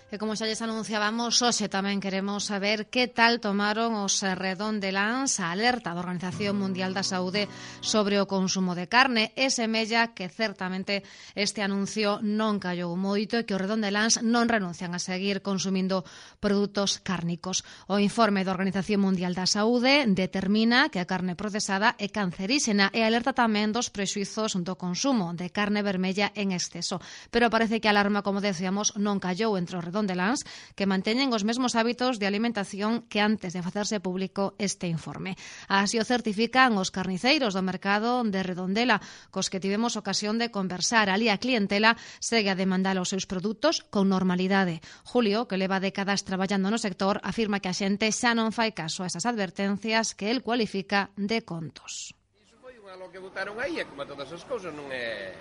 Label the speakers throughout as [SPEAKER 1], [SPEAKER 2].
[SPEAKER 1] E como xa lles anunciábamos, hoxe tamén queremos saber que tal tomaron os redondeláns a alerta da Organización Mundial da Saúde sobre o consumo de carne. E semella que certamente este anuncio non callou moito e que os redondeláns non renuncian a seguir consumindo produtos cárnicos. O informe da Organización Mundial da Saúde determina que a carne procesada é canceríxena e alerta tamén dos prexuizos do consumo de carne vermella en exceso. Pero parece que a alarma, como decíamos, non callou entre os redondeláns, que manteñen os mesmos hábitos de alimentación que antes de facerse público este informe. Así o certifican os carniceiros do mercado de Redondela, cos que tivemos ocasión de conversar. Ali a clientela segue a demandar os seus produtos con normalidade. Julio, que leva décadas traballando no sector, afirma que a xente xa non fai caso a esas advertencias que el cualifica de contos.
[SPEAKER 2] Iso foi unha lo que botaron aí, e como todas as cousas non é...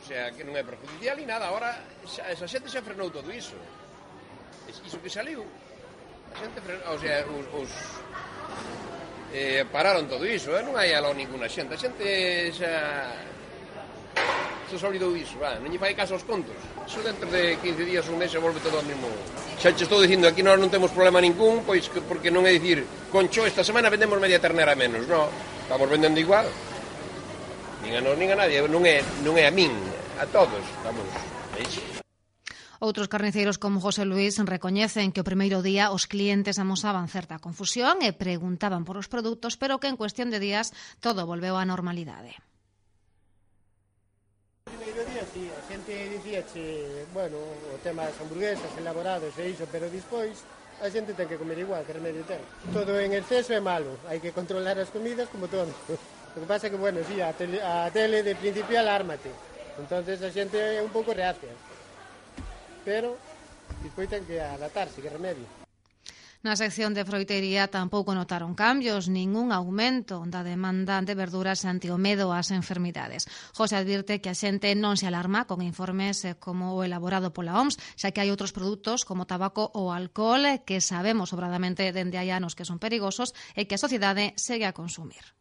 [SPEAKER 2] O sea, que non é perjudicial ni nada. Ahora, esa xente xa frenou todo iso. Iso que saliu, a xente frenou, o sea, pararon todo iso, non hai aló ninguna xente. A xente xa se olvidou iso, non lle fai caso aos contos. Iso dentro de 15 días, un mes, se volve todo ao mesmo. Xa che estou dicindo, aquí nós non temos problema ningún, pois porque non é dicir, concho, esta semana vendemos media ternera menos, non, estamos vendendo igual. Nin a nós, nin a nadie, non é a min, a todos, vamos, é iso.
[SPEAKER 1] Outros carniceiros como José Luis recoñecen que o primeiro día os clientes amosaban certa confusión e preguntaban por os produtos, pero que en cuestión de días todo volveu á normalidade.
[SPEAKER 3] O primeiro día, sí, a xente dicía bueno, o tema das hamburguesas, elaborados e iso, pero despois a xente ten que comer igual, que remedio ten. Todo en exceso é malo, hai que controlar as comidas como todo. O que pasa é que, bueno, sí, a tele de principio alármate. Entonces a xente é un pouco reacia. Pero despois ten que adaptarse, que remedio.
[SPEAKER 1] Na sección de froitería tampouco notaron cambios, ningún aumento da demanda de verduras ante o medo ás enfermidades. José advirte que a xente non se alarma con informes como o elaborado pola OMS, xa que hai outros produtos como tabaco ou alcohol que sabemos sobradamente dende hai anos que son perigosos e que a sociedade segue a consumir.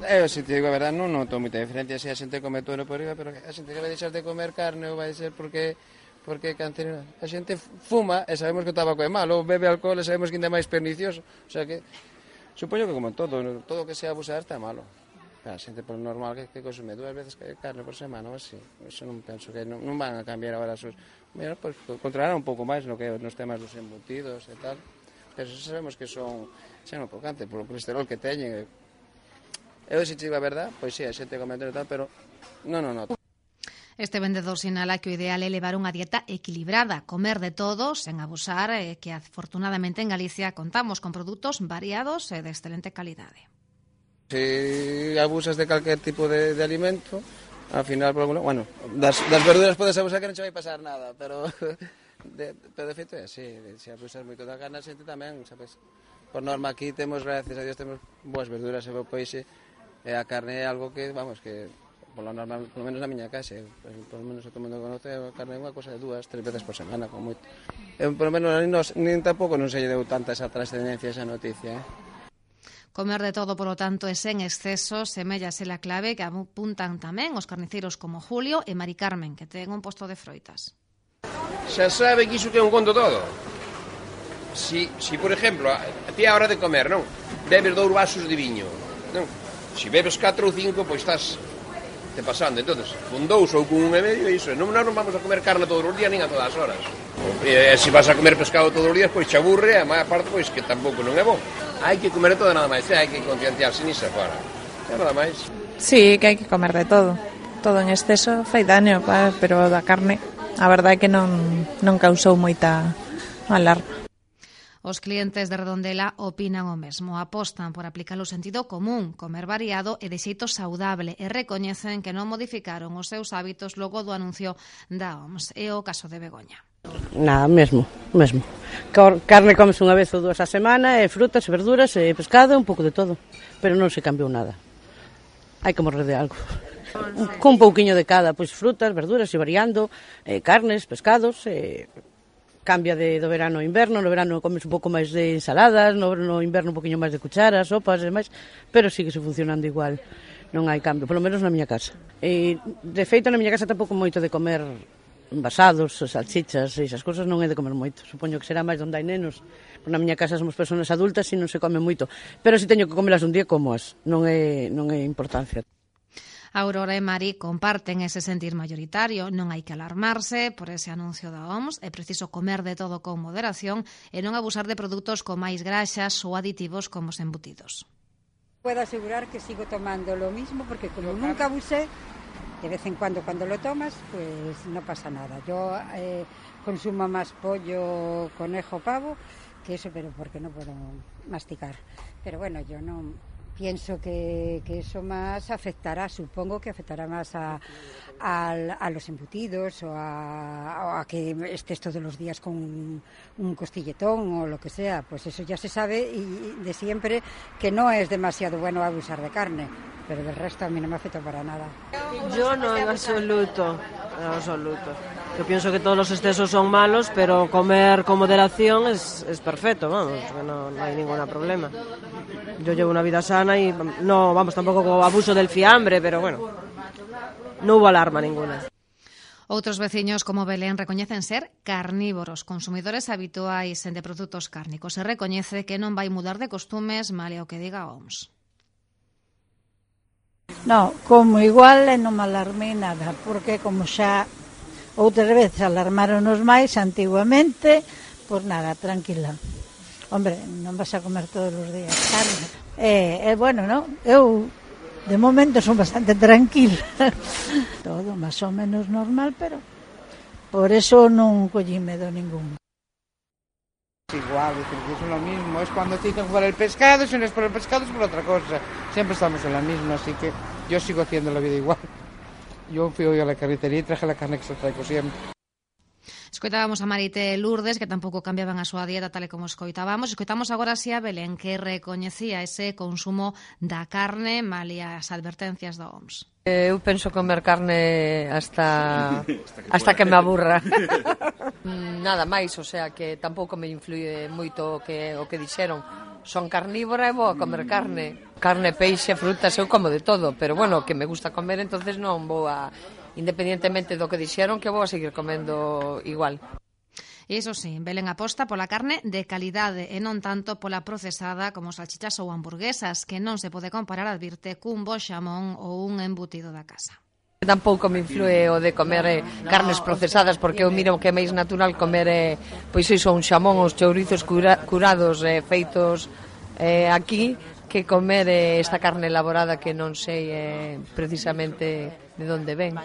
[SPEAKER 4] Eu, se te digo a verdade, non noto moita diferencia se a xente come todo por riba, pero a xente que vai deixar de comer carne ou vai ser porque é cancerígeno. A xente fuma e sabemos que o tabaco é malo, bebe alcohol e sabemos que ainda é máis pernicioso. O sea que, supoño que como todo que sea abusar está malo. A xente por normal que consume 2 veces carne por semana ou así. Eso non penso que non van a cambiar agora as súas... Mira, pues, controlar un pouco máis no que nos temas dos embutidos e tal. Pero sabemos que son un pocante polo colesterol que teñen. Eu, se te digo a verdade, pois sí, a xente comenta e tal, pero non noto.
[SPEAKER 1] Este vendedor sinala que o ideal é levar unha dieta equilibrada, comer de todo, sen abusar, e que afortunadamente en Galicia contamos con produtos variados e de excelente calidade.
[SPEAKER 4] Se abusas de calquer tipo de alimento, ao final, bueno, das verduras podes abusar que non che vai pasar nada, pero de feito é así, se abusas moito da carne, a xente tamén, sabes? Por norma aquí temos, gracias a Dios, temos boas verduras e bo peixe, e a carne é algo que, vamos, que polo normal, polo menos na miña casa, polo menos o todo mundo conoce, a carne é unha cosa de 2-3 veces por semana, como moito. Polo menos nin tampouco non se lle deu tanta esa trascendencia, esa noticia,
[SPEAKER 1] Comer de todo, polo tanto, e sen exceso, semella ser a clave que apuntan tamén os carniceiros como Julio e Mari Carmen, que ten un posto de froitas.
[SPEAKER 2] Xa sabe que iso que é un conto todo. Si por exemplo, a ti a hora de comer, non? Bebes 2 vasos de viño, non? Si bebes 4 ou 5, pois estás te pasando. Entonces, con 2 ou con 1,5, iso. Non vamos a comer carne todos os días, nin a todas as horas. E se vas a comer pescado todos os días, pois te aburre, a maior parte, pois que tampouco non é bom. Hai que comer todo nada máis, hai que concienciarse nisso agora. É nada máis.
[SPEAKER 5] Sí, que hai que comer de todo. Todo en exceso fai daño, pero da carne, a verdade é que non causou moita alarma.
[SPEAKER 1] Os clientes de Redondela opinan o mesmo, apostan por aplicar o sentido común, comer variado e de xeito saudable e recoñecen que non modificaron os seus hábitos logo do anuncio da OMS. É o caso de Begoña.
[SPEAKER 6] Nada, mesmo. Carne comes unha vez ou 2 a semana, e frutas, e verduras, e pescado, un pouco de todo. Pero non se cambiou nada. Hai que morrer de algo. Con un pouquiño de cada, pois frutas, verduras, e variando, carnes, pescados, cambia do verano ao inverno, no verano comes un pouco máis de ensaladas, no inverno un poquinho máis de cucharas, sopas e máis, pero sigue funcionando igual, non hai cambio, polo menos na miña casa. E, de feito, na miña casa tampouco moito de comer envasados, salchichas e esas cousas non é de comer moito. Supoño que será máis onde hai nenos. Na miña casa somos persoas adultas e non se come moito. Pero se teño que comelas un día, comoas. Non é importancia.
[SPEAKER 1] Aurora e Mari comparten ese sentir maioritario. Non hai que alarmarse por ese anuncio da OMS. É preciso comer de todo con moderación e non abusar de produtos con máis graxas ou aditivos como os embutidos.
[SPEAKER 7] Puedo asegurar que sigo tomando lo mismo porque como nunca abusé, de vez en cuando lo tomas, pues no pasa nada. Yo consumo más pollo, conejo, pavo que eso, pero porque no puedo masticar. Pero bueno, yo no... Pienso que eso más afectará, supongo que afectará más a los embutidos o a que estés todos los días con un costilletón o lo que sea. Pues eso ya se sabe y de siempre que no es demasiado bueno abusar de carne, pero del resto a mí no me afecta para nada.
[SPEAKER 8] Yo no, en absoluto. Yo pienso que todos los excesos son malos, pero comer con moderación es perfecto, vamos, no hay ningún problema. Yo llevo una vida sana y no, vamos, tampoco abuso del fiambre, pero bueno, no hubo alarma ninguna.
[SPEAKER 1] Outros veciños como Belén recoñecen ser carnívoros, consumidores habituais de produtos cárnicos. Se recoñece que non vai mudar de costumes, male o que diga a OMS.
[SPEAKER 9] No, como igual non me alarmei nada, porque como xa outras veces alarmáronos máis antiguamente, pois nada, tranquila. Hombre, non vas a comer todos os días carne. Bueno, non? Eu, de momento, son bastante tranquila. Todo máis ou menos normal, pero por eso non collí medo ningún.
[SPEAKER 4] Igual, es lo mismo. Es cuando te dicen por el pescado, si no es por el pescado es por otra cosa. Siempre estamos en la misma, así que yo sigo haciendo la vida igual. Yo fui hoy a la carnicería y traje la carne que se traigo siempre.
[SPEAKER 1] Escoitábamos a Marite e Lourdes, que tampouco cambiaban a súa dieta tal e como escoitábamos. Escoitamos agora así a Belén, que recoñecía ese consumo da carne malia as advertencias da OMS.
[SPEAKER 8] Eu penso comer carne hasta que me aburra. Nada máis, o sea que tampouco me influye moito o que dixeron. Son carnívora e vou a comer carne. Carne, peixe, frutas, eu como de todo, pero bueno, que me gusta comer, entonces non vou a... Independientemente do que dixeron, que vou a seguir comendo igual.
[SPEAKER 1] E iso sí, Belén aposta pola carne de calidade e non tanto pola procesada como salchichas ou hamburguesas, que non se pode comparar, advirte, cun bo xamón ou un embutido da casa.
[SPEAKER 8] Tampouco me influe o de comer carnes procesadas, porque eu miro que é máis natural comer pois iso, un xamón, os chourizos curados feitos aquí, que comer esta carne elaborada que non sei precisamente de onde ven.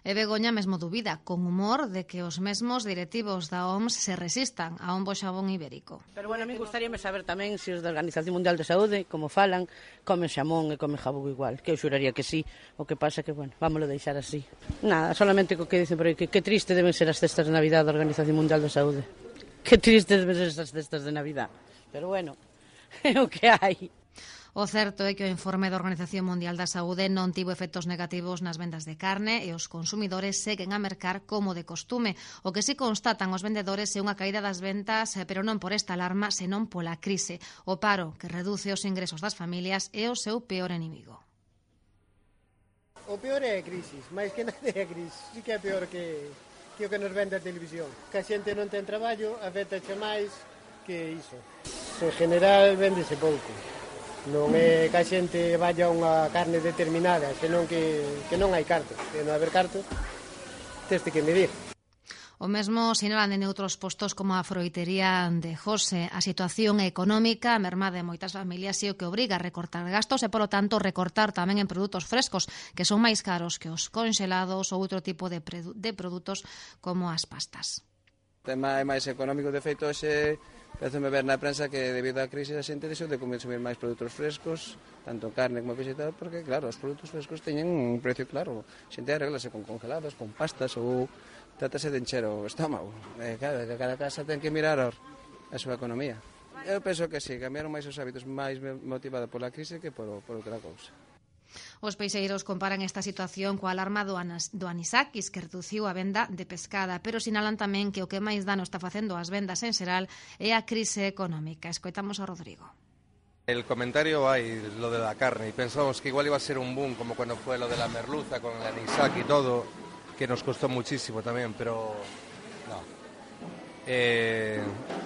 [SPEAKER 1] E Begoña mesmo dubida, con humor, de que os mesmos directivos da OMS se resistan a un bo xamón ibérico.
[SPEAKER 6] Pero bueno, a mí gustaríame saber tamén se os da Organización Mundial de Saúde, como falan, comen xamón e comen jabugo igual, que eu xuraría que sí, o que pasa que, bueno, vámoslo deixar así. Nada, solamente co que dicen por aí, que triste deben ser as cestas de Navidad da Organización Mundial de Saúde. Que triste deben ser as cestas de Navidad. Pero bueno, é o que hai.
[SPEAKER 1] O certo é que o informe da Organización Mundial da Saúde non tivo efectos negativos nas vendas de carne e os consumidores seguen a mercar como de costume. O que si constatan os vendedores é unha caída das ventas, pero non por esta alarma, senón pola crise. O paro, que reduce os ingresos das familias, é o seu peor inimigo.
[SPEAKER 3] O peor é a crisis, máis que nada é a crisis. Sí que é peor que o que nos vende a televisión. Que a xente non ten traballo, afectaxe máis que iso. En general, véndese pouco. Non é que a xente vaya a unha carne determinada, senón que non hai cartos. Que non haber cartos, teste que medir.
[SPEAKER 1] O mesmo sinalan en outros postos como a froitería de José. A situación económica mermada en moitas familias e o que obriga a recortar gastos e, polo tanto, recortar tamén en produtos frescos, que son máis caros que os conxelados ou outro tipo de produtos como as pastas.
[SPEAKER 4] O tema é máis económico, de feito, Empezome ver na prensa que debido á crise a xente deixou de consumir máis produtos frescos, tanto carne como peixe e tal, porque claro, os produtos frescos teñen un precio claro. A xente arreglase con congelados, con pastas ou trátase de encher o estómago. Claro, que cada casa ten que mirar a súa economía. Eu penso que sí, cambiaron máis os hábitos máis motivada pola crise que por outra cousa.
[SPEAKER 1] Os peixeiros comparan esta situación coa alarma do anisakis, que reduciu a venda de pescada, pero sinalan tamén que o que máis dano está facendo as vendas en xeral é a crise económica. Escoitamos a Rodrigo.
[SPEAKER 10] El comentario hay lo de la carne y pensamos que igual iba a ser un boom como cuando fue lo de la merluza con el anisaki y todo, que nos costó muchísimo también, pero no.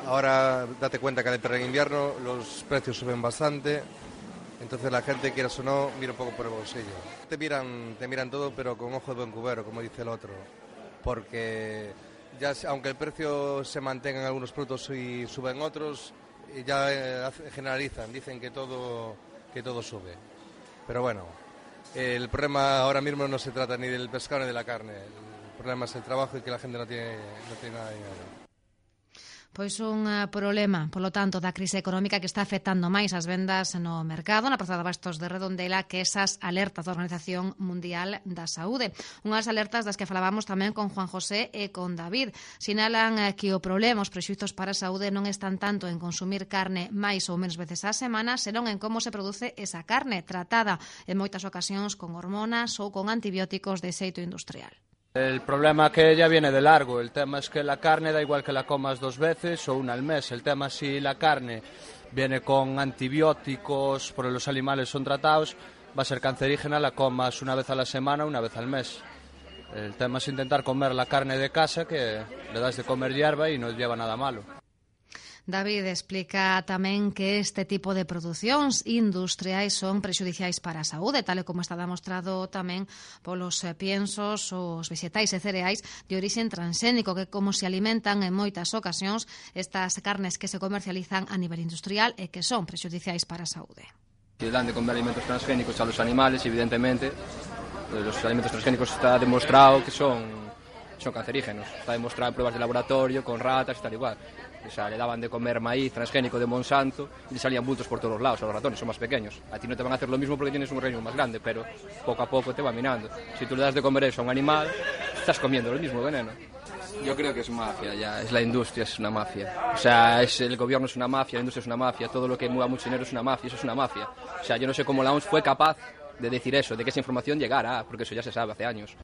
[SPEAKER 10] Ahora date cuenta que en invierno los precios suben bastante, entonces la gente, quieras o no, mira un poco por el bolsillo. Te miran todo, pero con ojo de buen cubero, como dice el otro, porque ya aunque el precio se mantenga en algunos productos y suben otros, ya generalizan, dicen que todo sube. Pero bueno, el problema ahora mismo no se trata ni del pescado ni de la carne, el problema es el trabajo y que la gente no tiene nada de dinero.
[SPEAKER 1] Pois un problema, polo tanto, da crise económica que está afectando máis as vendas no mercado, na Praza de Abastos de Redondela, que esas alertas da Organización Mundial da Saúde. Unhas alertas das que falábamos tamén con Juan José e con David. Sinalan que o problema, os prexuizos para a saúde non están tanto en consumir carne máis ou menos veces á semana, senón en como se produce esa carne, tratada en moitas ocasións con hormonas ou con antibióticos de xeito industrial.
[SPEAKER 11] El problema que ya viene de largo, el tema es que la carne da igual que la comas 2 veces o una al mes, el tema si la carne viene con antibióticos, porque los animales son tratados, va a ser cancerígena, la comas una vez a la semana o una vez al mes. El tema es intentar comer la carne de casa, que le das de comer hierba y no lleva nada malo.
[SPEAKER 1] David explica tamén que este tipo de producións industriais son prexudiciais para a saúde, tal e como está demostrado tamén polos piensos, os vegetais e cereais de orixen transxénico, que como se alimentan en moitas ocasións estas carnes que se comercializan a nivel industrial e que son prexudiciais para a saúde.
[SPEAKER 12] Que dan de comer alimentos transgénicos a los animales, evidentemente, los alimentos transgénicos está demostrado que son cancerígenos, está demostrado en pruebas de laboratorio con ratas y tal igual. O sea, le daban de comer maíz transgénico de Monsanto y le salían bultos por todos los lados a los ratones, son más pequeños. A ti no te van a hacer lo mismo porque tienes un reino más grande, pero poco a poco te va minando. Si tú le das de comer eso a un animal, estás comiendo el mismo veneno. Yo creo que es mafia ya, es la industria, es una mafia. O sea, el gobierno es una mafia, la industria es una mafia, todo lo que mueva mucho dinero es una mafia, eso es una mafia. O sea, yo no sé cómo la OMS fue capaz de decir eso, de que esa información llegara, porque eso ya se sabe hace años.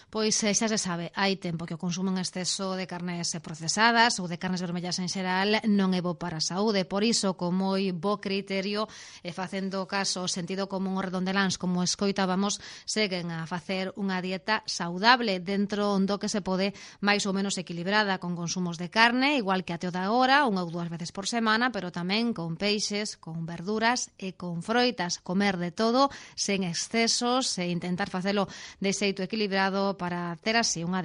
[SPEAKER 1] Pois xa se sabe, hai tempo que o consumo en exceso de carnes procesadas ou de carnes vermellas en xeral non é bo para a saúde. Por iso, con moi bo criterio e facendo caso ao sentido común os redondeláns, como escoitábamos, seguen a facer unha dieta saudable dentro do que se pode, máis ou menos equilibrada, con consumos de carne, igual que até o da hora, 1 ou 2 veces por semana, pero tamén con peixes, con verduras e con froitas. Comer de todo, sen excesos, e intentar facelo de xeito equilibrado para ter así unha